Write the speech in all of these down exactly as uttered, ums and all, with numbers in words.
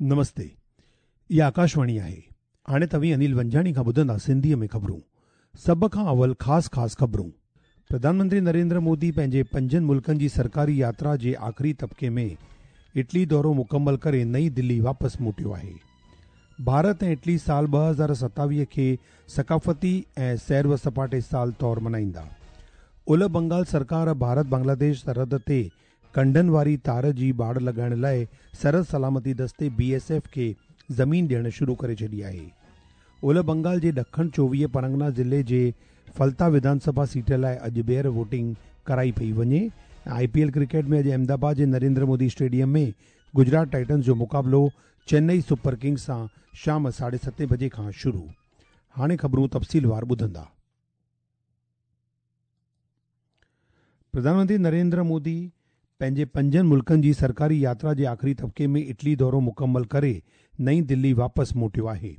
नमस्ते, इहा आकाशवाणी आहे। हाणे तव्हीं अनिल वंजाणी खां ॿुधंदा सिंधीअ में ख़बरूं। सभ खां अवल ख़ासि ख़ासि ख़बरूं। प्रधानमंत्री नरेंद्र मोदी पंहिंजे पंजनि मुल्कनि जी सरकारी यात्रा जे आख़िरी तबिके में इटली दौरो मुकमल करे नई दिल्ली वापसि मोटियो आहे। भारत ऐं इटली साल ॿ हज़ार सतावीह खे सकाफ़ती ऐं सैर व सपाटे साल तौर मल्हाईंदा। उलह बंगाल सरकार भारत बांग्लादेश सरहद ते कंढनि वारी तार जी बाड़ लॻाइण लाइ सरहद सलामती दस्ते बी एस एफ खे ज़मीन ॾियणु शुरू करे छॾी आहे। उलह बंगाल जे ॾखण चोवीह परगना ज़िले जे फलता विधानसभा सीट लाइ अॼु ॿीहर वोटिंग कराई पई वञे। I P L cricket में अॼु अहमदाबाद जे नरेंद्र मोदी स्टेडियम में गुजरात टाइटन्स जो मुक़ाबिलो चेन्नई सुपर किंग्स सां शाम साढे सतें बजे खां शुरू। हाणे ख़बरूं तफ़सीलवार ॿुधंदा। प्रधानमंत्री नरेंद्र मोदी पंहिंजे पंजनि मुल्कनि जी सरकारी यात्रा जे आख़िरी तबिके में इटली दौरो मुकमल करे नई दिल्ली वापसि मोटियो आहे।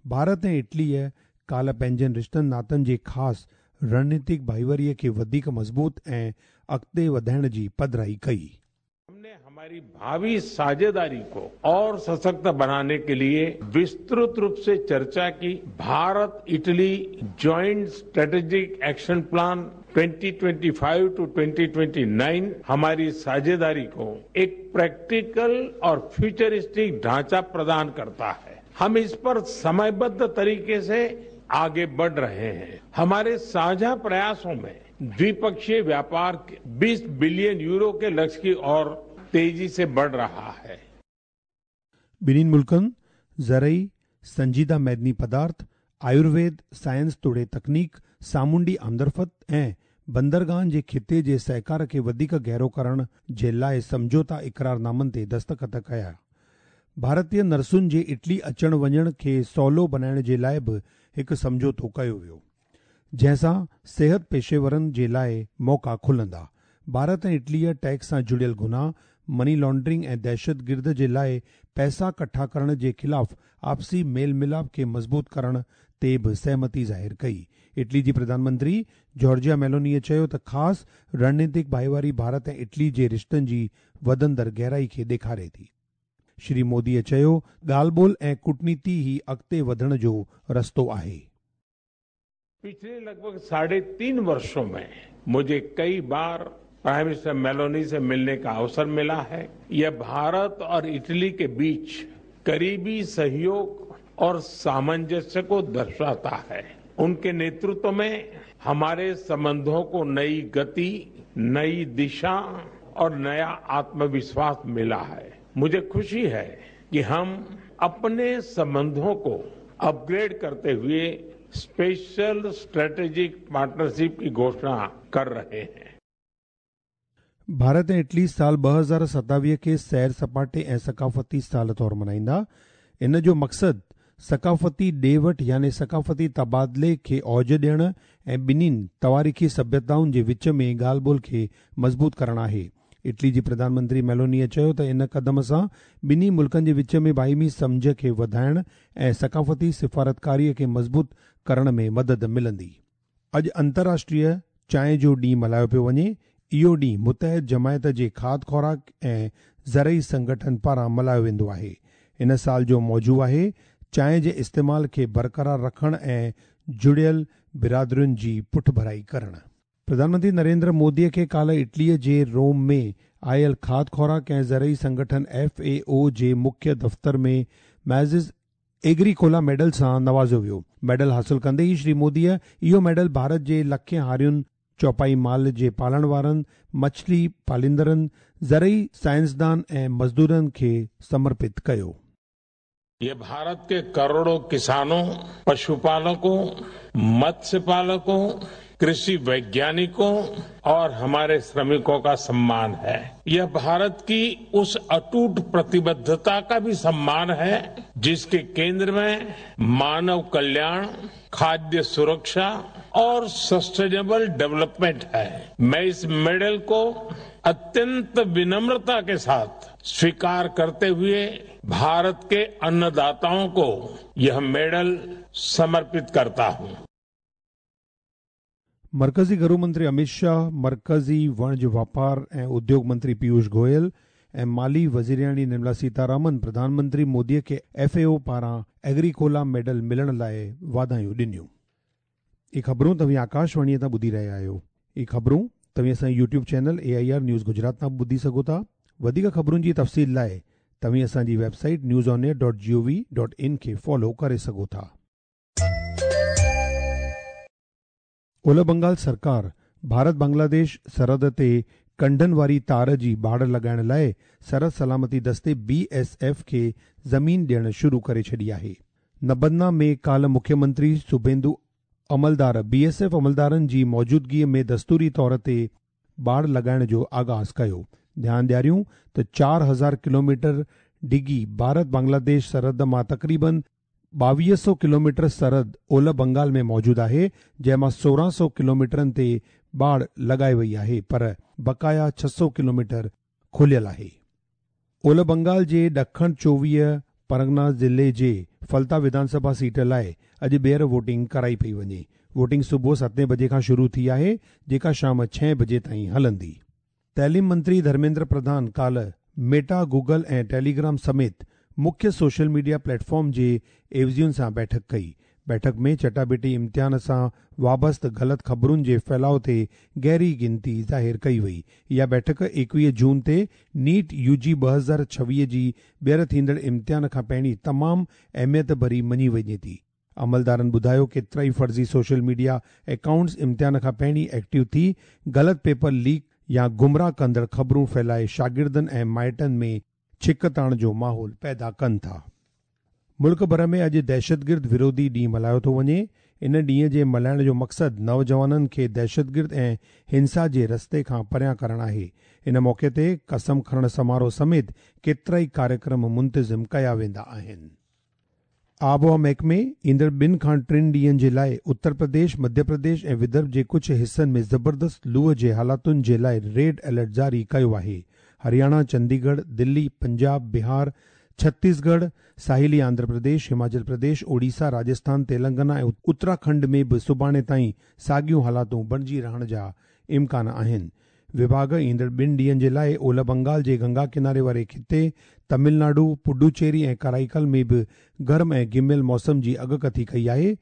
भारत ऐं इटलीअ काल्ह पंहिंजनि रिश्तनि नातनि जे ख़ासि रणनीतिक भाईवारीअ खे वधीक मज़बूत ऐं अॻिते वधाइण जी पधराई कई। हमने हमारी भावी साझेदारी को और सशक्त बनाने के लिए विस्तृत रूप से चर्चा की। Bharat Italy joint strategic action plan twenty twenty five to twenty twenty nine हमारी साझेदारी को एक प्रैक्टिकल और फ्यूचरिस्टिक ढांचा प्रदान करता है। हम इस पर समयबद्ध तरीके से आगे बढ़ रहे हैं। हमारे साझा प्रयासों में द्विपक्षीय व्यापार बीस बिलियन यूरो के लक्ष्य की ओर तेजी से बढ़ रहा है। ॿिन्हिनि मुल्कनि ज़रई, संजीदा मैदनी पदार्थ, आयुर्वेद, साइंस तोड़े तकनीक, सामुंडी आमदरफ़्त ऐं बंदरगाहनि जे खिते जे सहकार खे वधीक गहरो करण जे लाइ सम्झौता इकरारनामनि ते दस्तख़त कया। भारतीय नर्सुनि जे इटली अचण वञण खे सवलो बणाइण जे लाइ बि हिकु सम्झौतो कयो वियो, जंहिंसां सिहत पेशेवरनि जे लाइ मौक़ा खुलंदा। भारत ऐं इटलीअ टैक्स सां जुड़ियल गुनाह, मनी लॉन्ड्रिंग ऐं दहशतगिर्द जे लाइ पैसा कट्ठा करण जे ख़िलाफ़ आपसी मेल मिलाप खे मज़बूत करण ते बि सहमति ज़ाहिर कई। इटली जी प्रधानमंत्री जॉर्जिया मेलोनीअ चयो त ख़ासि रणनीतिक भाईवारी भारत ऐं इटली जे रिश्तनि जी वधंदड़ गहराई खे ॾेखारे थी। श्री मोदीअ चयो, ॻाल्हि ॿोल ऐं कूटनीति ई अॻिते वधण जो रस्तो आहे। पिछले लगभग साढ़े तीन वर्षों में मुझे कई बार प्राइम मिनिस्टर मेलोनी से मिलने का अवसर मिला है। यह भारत और इटली के बीच करीबी सहयोग और सामंजस्य को दर्शाता है। उनके नेतृत्व में हमारे संबंधों को नई गति, नई दिशा और नया आत्मविश्वास मिला है। मुझे खुशी है कि हम अपने संबंधों को अपग्रेड करते हुए स्पेशल स्ट्रेटेजिक पार्टनरशिप की घोषणा कर रहे हैं। भारत ऐं इटली साल ॿ हज़ार सतावीह खे सैर सपाटे ऐं सकाफ़ती साल तौर मल्हाईंदा। इन जो मक़सदु सकाफ़ती ॾे वठि यानी सकाफ़ती तबादिले खे औज ॾियण ऐं ॿिन्हिनि तवारीख़ी सभ्यताउनि जे विच में ॻाल्हि ॿोल खे मज़बूत करणु आहे। इटली जी प्रधानमंत्री मेलोनीअ चयो त इन कदम सां ॿिन्ही मुल्कनि जे विच में बाहिमी सम्झ खे वधाइण ऐं सकाफ़ती सिफारतकारीअ खे मज़बूत करण में मदद मिलंदी। अॼु अंतर्राष्ट्रीय चांहि जो ॾींहुं मल्हायो पियो वञे। इहो ॾींहुं मुतहद जमायत जे खाद खुराक ऐं ज़रई संगठन पारां मल्हायो वेंदो आहे। इन साल जो मौज़ू आहे चांहि जे इस्तेमाल खे बरक़रार रखण ऐं जुड़ियल बिरादरियुनि जी पुठभराई करण। प्रधानमंत्री नरेंद्र मोदीअ खे काल्ह इटलीअ जे रोम में आयल खाद खुराक ऐं ज़रई संगठन एफ ए ओ जे मुख्य दफ़्तर में मैज़िस एग्रीकोला मेडल सां नवाज़ियो वियो। मेडल हासिल कंदे ई श्री मोदीअ इहो मेडल भारत जे लखें हारियुनि, चौपाई माल जे पालण वारनि, मछली पालींदड़नि, ज़रई साइंसदान ऐं मज़दूरनि खे समर्पित कयो। ये भारत के करोड़ों किसानों, पशुपालकों, मत्स्य पालकों, कृषि वैज्ञानिकों और हमारे श्रमिकों का सम्मान है। यह भारत की उस अटूट प्रतिबद्धता का भी सम्मान है जिसके केंद्र में मानव कल्याण, खाद्य सुरक्षा और सस्टेनेबल डेवलपमेंट है। मैं इस मेडल को अत्यंत विनम्रता के साथ स्वीकार करते हुए भारत के अन्नदाताओं को यह मेडल समर्पित करता हूं। मरकज़ी घरू मंत्री अमित शाह, मरकज़ी वणज वापार ऐं उद्योग मंत्री पीयूष गोयल ऐं माली वज़ीरियाणी निर्मला सीतारामन प्रधानमंत्री मोदीअ खे एफ ए ओ पारां एग्रीकोला मेडल मिलण लाइ वाधायूं ॾिनियूं। इहे ख़बरूं तव्हीं आकाशवाणीअ तां ॿुधी रहिया आहियो। इहे ख़बरूं तव्हीं असांजे YouTube channel A I R news Gujarat तां बि ॿुधी सघो था। वधीक ख़बरुनि जी तफ़सील लाइ तव्हीं असांजी website news on air dot G O V dot in खे फॉलो करे सघो था। ओलह बंगाल सरकार भारत बांग्लादेश सरहद ते कंढनि वारी तार जी बाड़ लॻाइण लाइ सरहद सलामती दस्ते बी एस एफ खे ज़मीन ॾियण शुरू करे छॾी आहे। नबन्ना में काल्ह मुख्यमंत्री सुभेंदु अमलदार बी एस एफ अमलदारनि जी मौजूदगीअ में दस्तूरी तौर ते बाड़ लॻाइण जो आगाज़ कयो। ध्यानु ॾियारियूं त चार हज़ार किलोमीटर डिघी भारत बांग्लादेश सरहद मां तक़रीबन ॿावीह सौ किलोमीटर सरहद ओलह बंगाल में मौजूदु आहे, जंहिं मां सोरहं सौ किलोमीटरनि ते बाड़ लॻाई वई आहे, पर बक़ाया छह सौ किलोमीटर खुलियल आहे। ओलह बंगाल जे ॾखण चोवीह परगना ज़िले जे फलता विधानसभा सीट लाइ अॼु ॿीहर वोटिंग कराई पई वञे। वोटिंग सुबुह सतें बजे खां शुरू थी आहे, जेका शाम छह बजे ताईं हलंदी। तइलीम मंत्री धर्मेंद्र प्रधान काल्ह मेटा, गूगल ऐं टेलीग्राम समेत मुख्य सोशल मीडिया प्लेटफॉर्म जे एवज़ियुनि सां बैठक कई। बैठक में चटाबेटी इम्तिहान सां वाबस्त ग़लति ख़बरुनि जे फैलाव ते गहरी गिनती ज़ाहिर कई वई। इहा बैठक एकवीह जून ते नीट you जी ॿ हज़ार छवीह जी ॿीहर थींदड़ इम्तिहान खां पहिरीं तमामु अहमियत भरी मञी वञे थी। अमलदारनि ॿुधायो केतिरा ई फ़र्ज़ी सोशल मीडिया अकाउंट्स इम्तिहान खां पहिरीं एक्टिव थी ग़लति पेपर लीक या गुमराह कंदड़ ख़बरूं फैलाए शागिर्दनि ऐं माइटनि में छिकताण जो माहौल पैदा कनि था। मुल्क भर में अॼु दहशतगिर्द विरोधी ॾींहुं मल्हायो थो वञे। इन ॾींहं जे मल्हाइण जो मक़सदु नौजवाननि खे दहशतगिर्द ऐं हिंसा जे रस्ते खां परियां करणु आहे। इन मौक़े ते कसम खणण समारोह समेत केतिरा ई कार्यक्रम मुंतज़िम कया वेंदा आहिनि। आबहवा महकमे ईंदड़ ॿिनि खां टिनि ॾींहंनि जे लाइ उत्तर प्रदेश, मध्य प्रदेश ऐं विदर्भ जे कुझु हिसनि में ज़बरदस्त लूअ जे हालातुनि जे लाइ रेड अलर्ट जारी कयो आहे। हरियाणा, चंडीगढ़, दिल्ली, पंजाब, बिहार, छत्तीसगढ़, साहिली आंध्र प्रदेश, हिमाचल प्रदेश, ओडिशा, राजस्थान, तेलंगाना ऐं उत्तराखंड में बि सुभाणे ताईं साॻियूं हालातूं बणिजी रहण जा इम्कान आहिनि। विभाग ईंदड़ ॿिनि ॾींहंनि जे लाइ ओलह बंगाल जे गंगा किनारे वारे खिते, तमिलनाडु, पुडुचेरी ऐं कराईकल में बि गर्म ऐं गिमियल मौसम जी अगकथी कई आहे।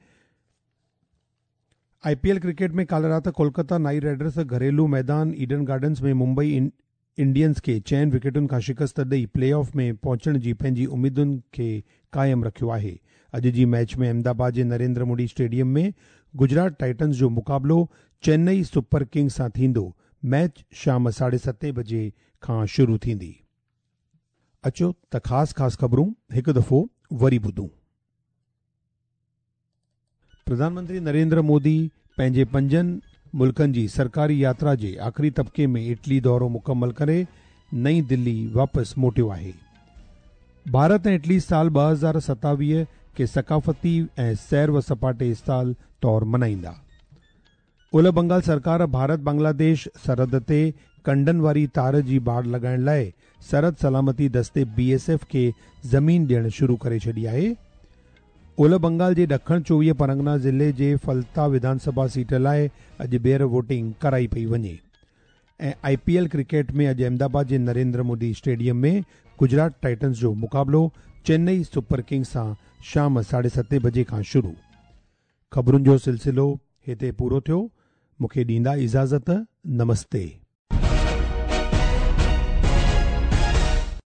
I P L cricket में काल्ह राति कोलकाता नाइट राइडर्स घरेलू मैदान ईडन गार्डन्स में मुंबई इंडियंस खे चइनि विकेटुनि खां शिकस्त ॾेई प्ले ऑफ में पहुचण जी पंहिंजी उमेदुनि खे क़ाइमु रखियो आहे। अॼु जी मैच में अहमदाबाद जे नरेंद्र मोदी स्टेडियम में गुजरात टाइटन्स जो मुक़ाबिलो चेन्नई सुपर किंग्स सां थींदो। मैच शाम साढे सतें बजे खां शुरू थींदी। अचो त ख़ासि ख़ासि ख़बरूं हिकु दफ़ो वरी ॿुधूं। प्रधानमंत्री नरेंद्र मोदी पंहिंजे पंजनि मुल्कनि जी सरकारी यात्रा जे आख़िरी तबके में इटली दौरो मुकम्मल करे नई दिल्ली वापसि मोटियो आहे। भारत ऐं इटली साल ॿ हज़ार सतावीह खे सकाफ़ती ऐं सैर व सपाटे साल तौर मल्हाईंदा। ओलह बंगाल सरकार भारत बांग्लादेश सरहद ते कंढनि वारी तार जी बाड़ लॻाइण लाइ सरहद सलामती दस्ते बी एस एफ खे ज़मीन ॾियण शुरू करे छॾी आहे। ओलह बंगाल जे ॾखण चोवीह परगना ज़िले जे फलता विधानसभा सीट लाइ अॼु ॿीहर वोटिंग कराई पई वञे। ऐं I P L cricket में अॼु अहमदाबाद जे नरेंद्र मोदी स्टेडियम में गुजरात टाइटन्स जो मुक़ाबिलो चेन्नई सुपर किंग्स सां शाम साढे सतें बजे खां शुरू। ख़बरुनि जो सिलसिलो हिते पूरो थियो। मूंखे ॾींदा इजाज़त। नमस्ते।